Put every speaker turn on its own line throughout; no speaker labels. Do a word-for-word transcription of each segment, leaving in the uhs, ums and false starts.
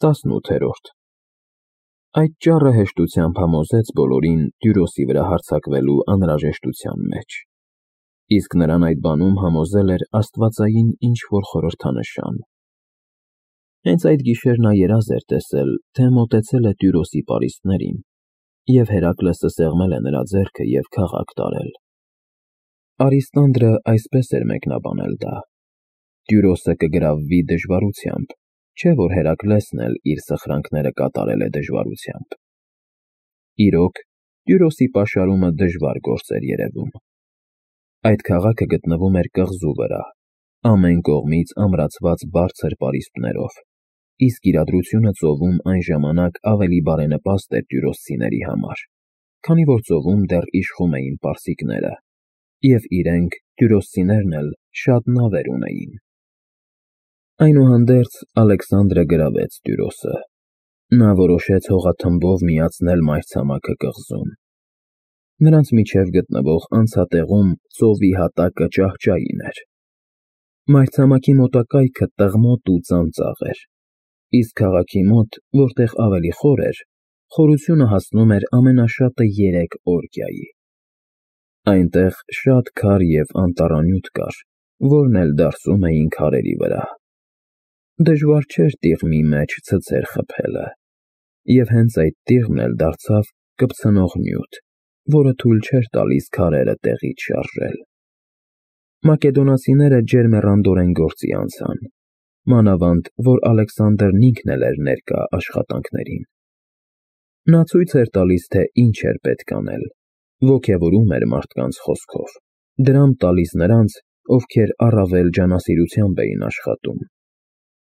տասնութերորդ Այդ ճառը հեշտությամբ համոզեց բոլորին Տյուրոսի վրա հարձակվելու անհրաժեշտության մեջ, իսկ նրան այդ բանում համոզել էր աստվածային ինչ-որ խորհրդանշան։ Հենց այդ գիշեր նա երազ էր տեսել, թե մոտեցել է Տյուրոսի պարիսպներին, և Հերակլեսը սեղմել է նրա ձեռքը և քաղաք տարել։ Արիստանդրը այսպես էր մեկնաբանել դա. Տյուրոսը կգրավվի դժվարությամբ, չէ՞ որ Հերակլեսն էլ իր սխրանքները կատարել է դժվարությամբ։ Իրոք, Տյուրոսի պաշարումը դժվար գործ էր երևում։ Այդ քաղաքը գտնվում էր կղզու վրա, ամեն կողմից ամրացված բարձր պարիսպներով, իսկ իրադրությունը ծովում այն ժամանակ ավելի բարենպաստ էր տյուրոսցիների համար, քանի որ ծովում դեռ իշխում էին պարսիկները, և իրենք, տյուրոսցիներն էլ, շատ նավեր ունեին։ Այնուհանդերձ, Ալեքսանդրը գրավեց Տյուրոսը։ Նա որոշեց հողաթմբով միացնել մայրցամաքը կղզուն։ Նրանց միջև գտնվող անցատեղում ծովի հատակը ճահճային էր։ Մայրցամաքի մոտակայքը տղմոտ ու ծանծաղ էր, իսկ քաղաքի մոտ, որտեղ ավելի խոր էր, խորությունը հասնում էր ամենաշատը երեք օրգյայի։ Այնտեղ շատ քար և անտառանյութ կար, որն էլ դարսում էին քարերի վրա։ Դժվար չէր տիղմի մեջ ցցեր խփելը, և հենց այդ տիղմն էլ դարձավ կպցնող նյութ, որը թույլ չէր տալիս քարերը տեղից շարժել։ Մակեդոնացիները ջերմեռանդորեն գործի անցան, մանավանդ որ Ալեքսանդրն ինքն էլ էր ներկա աշխատանքներին։ Նա ցույց էր տալիս, թե ինչ էր պետք անել, ոգևորում էր մարդկանց խոսքով, դրամ տալիս նրանց, ովքեր առավել ջանասիրությամբ էին աշխատում,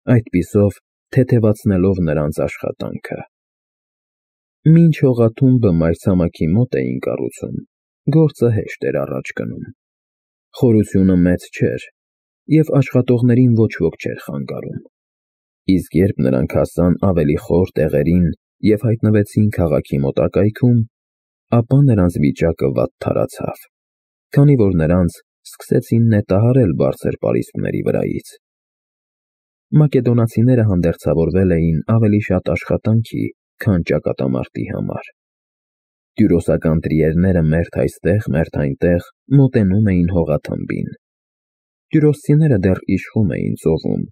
այդպիսով թեթևացնելով նրանց աշխատանքը։ Մինչ հողաթումբը մայրցամաքի մոտ էին կառուցում, գործը հեշտ էր առաջ գնում։ Խորությունը մեծ չէր, և աշխատողներին ոչ ոք չէր խանգարում, իսկ երբ նրանք հասան ավելի խոր տեղերին և հայտնվեցին քաղաքի մոտակայքում, ապա նրանց վիճակը վատ թարացավ, քանի որ նրանց սկսեցին նետահարել բարձր պարիսպների վրայից։ Մակեդոնացիները հանդերձավորվել էին ավելի շատ աշխատանքի, քան ճակատամարտի համար։ Տյուրոսական տրիերները մերթ այստեղ, մերթ այնտեղ մոտենում էին հողաթմբին։ Տյուրոսցիները դեռ իշխում էին ծովում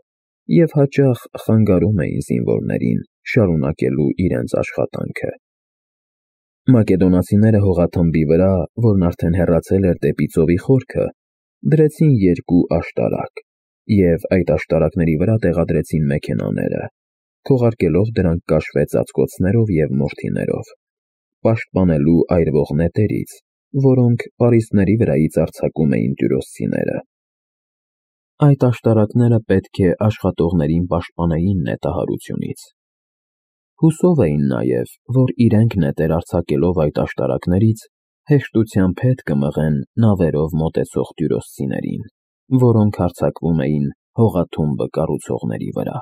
և հաճախ խանգարում էին զինվորներին շարունակելու իրենց աշխատանքը։ Մակեդոնացիները հողաթմբի վրա, որն արդեն հեռացել էր դեպի ծովի խորքը, դրեցին երկու աշտարակ և այդ աշտարակների վրա տեղադրեցին մեքենաները, քողարկելով դրանք կաշվե ծածկոցներով և մորթիներով, պաշտպանելու այրվող նետերից, որոնք պարիսպների վրայից արձակում էին տյուրոսցիները։ Այդ աշտարակները պետք է աշխատողներին պաշտպանեին նետահարությունից։ Հուսով էին նաև, որ իրենք նետեր արձակելով այդ աշտարակներից հեշտությամբ հետ կմղեն նավերով մոտեցող տյուրոսցիներին, որոնք հարձակվում էին հողաթումբը կառուցողների վրա։